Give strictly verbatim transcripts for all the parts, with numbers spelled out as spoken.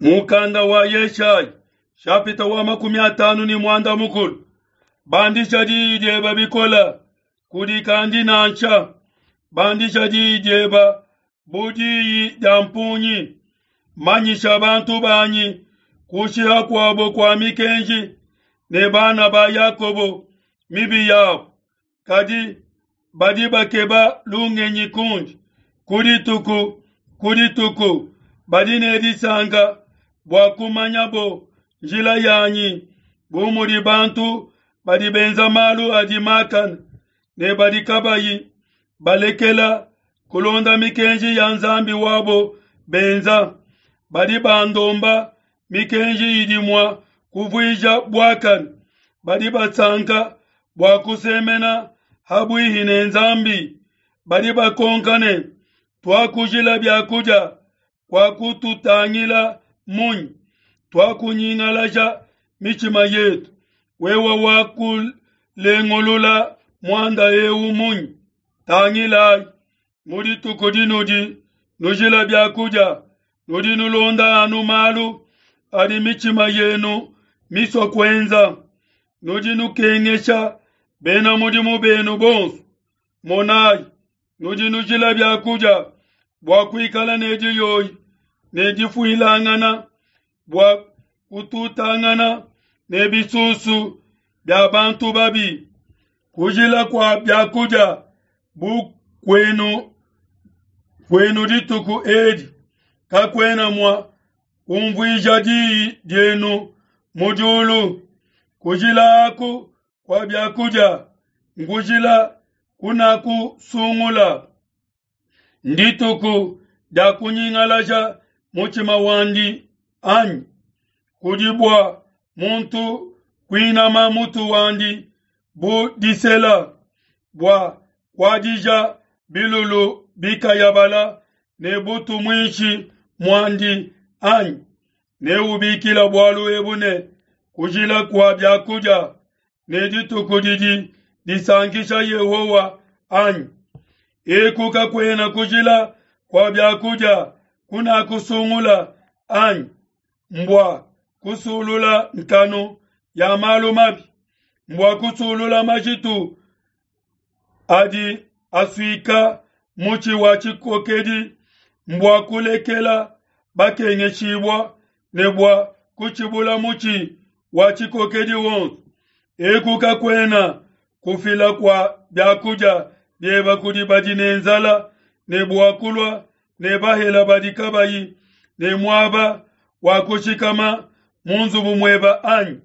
Mukanda wa Yeshayi shapita wa makumi atanu ne muanda mukulu. Bandisha diyi diebe bikole, kudikandi nansha. Bandisha diyi diebe bu diyi dia mpungi. Manyisha bantu banyi kushiha kuabo kua mikenji ne bana ba Yakobo mibi yabo. Kadi badi bakeba lungenyi kundi ku dituku ku dituku, badi ne disanka bua kumanyabo njila yanyi, bu mudi bantu badi benza malu adi makane ne badi kabayi balekela kulonda mikenji ya Nzambi wabo benza. Badi bandomba mikenji idi mua kuvuija buakane, badi basanka bua kusemena habuihi ne Nzambi. Badi bakonka ne, tuakujila biakudia kuakututangila munyi? Tuakunyingalaja mitshima yetu, wewe wakulengulula muanda eu munyi? Tangilayi, mu dituku dinudi nujila biakudia, nudi nulonda anu malu adi mitshima yenu misua kuenza. Nudi nukengesha bena mudimu benu bonso. Monayi, nudi nujila biakudia bua kuikala ne diyoyi ne difuilangana, bua kututangana ne bisusu bia bantu babi. Kujila kua biakudia bu kuenu kuenu dituku edi kakuena mua kumvuija diyi dienu mu diulu. Kujila aku kua biakudia nkujila kunakusungula. Ndituku dia kunyingalaja mutshima wandi anyi? Kudi bua muntu kuinama mutu wandi bu disela, bua kuadija bilulu bikayabala ne butu muinshi muandi anyi? Neubikila bualu ebu ne kujila kua biakudia ne dituku didi disankisha Yehowa anyi? Eku kakuena kujila kua biakudia kunakusungula anyi? Mbua kusulula nkanu ya malu mabi, mbua kusulula majitu adi asuika mutshi wa tshikokedi, mbua kulekela bakengeshibua ne bua kutshibula mutshi wa tshikokedi wonso. Eku kakuena kufila kua biakudia bieba kudi badi ne nzala, ne bua kulua ne bahela badi kabayi ne muaba wa kushikama mu nzubu mueba anyi?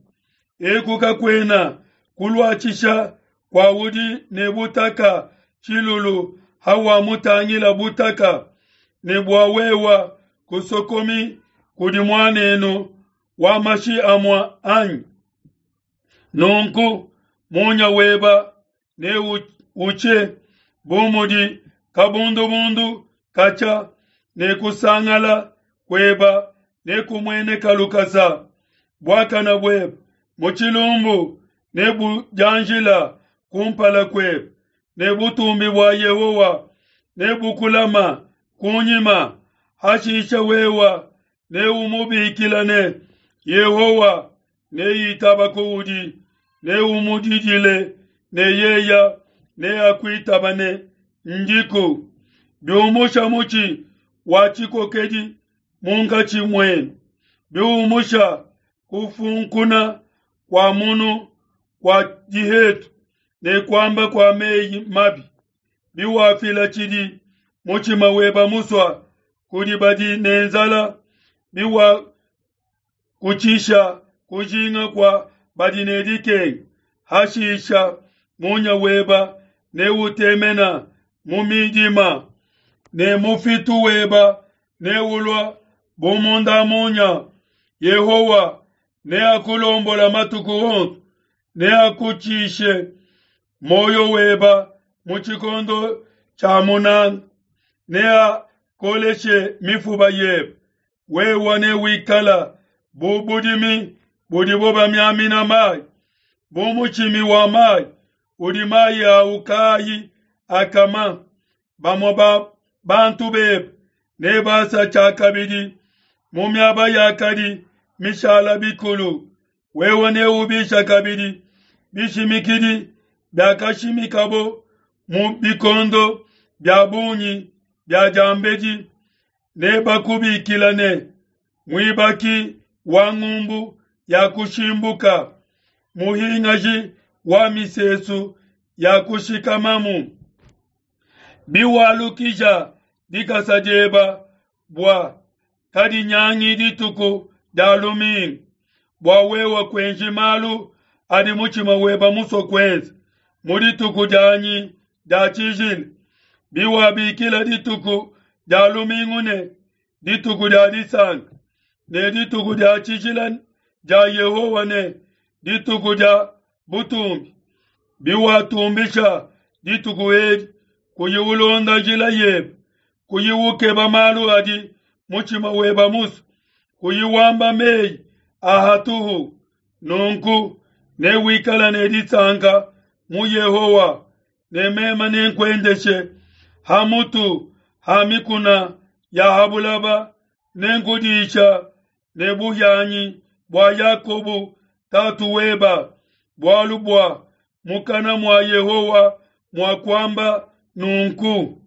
Eku kakuena kuluatshisha kua udi ne butaka tshilulu hawamutangila butaka, ne bua wewa kusokomi kudi muanenu wa mashi amua anyi? Nunku munya weba neuche bu mudi kabundubundu katshia, ne kusangala kueba nekumueneka lukasa. Buakana buebe mu tshilumbu nebudianjila kumpala kuebe, ne butumbi bua Yehowa nebukulama kunyima. Hashisha wewa neumubikila ne Yehowa neitaba kuudi, neumudidile ne yeya neakuitaba ne ndiku. Biumusha mutshi wa tshikokedi munkatshi muenu, biumusha kufunkuna kua munu kua dihetu ne kuamba kua meyi mabi, biwafila tshidi mutshima weba musua kudi badi ne nzala, biwakutshisha kujinga kua badi ne dikenga, hashisha munya weba neutemena mu midima, ne mufitu weba neulua bu munda munya. Yehowa neakulombola matuku onso, neakutshishe moyo weba mu tshikondo tshia munanga, neakoleshe mifuba yebe. Wewe newikala bu budimi budibo bamiamina mayi, bu mutshimi wa mayi udi mayi awu kaayi akama. Bamue ba bantu bebe nebasa tshiakabidi Mu miaba yakadi mishala bikulu, wewe neubisha kabidi bishimikidi biakashimikabo mu bikondo bia bungi bia diambedi. Nebakubikila ne, muibaki wa ngumbu ya kushimbuka, muhingaji wa misesu ya kushikamamu. Biwalukija dikasa dieba bua kadinyangi dituku dia lumingu, bua wewe kuenji malu adi mutshima weba musue kuenza mu dituku dianyi dia tshijila. Biwabikila dituku dia lumingu ne dituku dia disanka, ne dituku dia tshijila dia Yehowa ne dituku dia butumbi, biwatumbisha dituku edi, kuyi ulonda njila yebe, kuyi ukeba malu adi mutshima weba musue, kuyi wamba meyi a hatuhu, nunku newikala ne disanka mu Yehowa, ne meme nenkuendeshe ha mutu ha mikuna ya ha bulaba, nenkudisha ne buhianyi bua Yakobo tatu weba, bualu bua mukana mua Yehowa muakuamba nunku.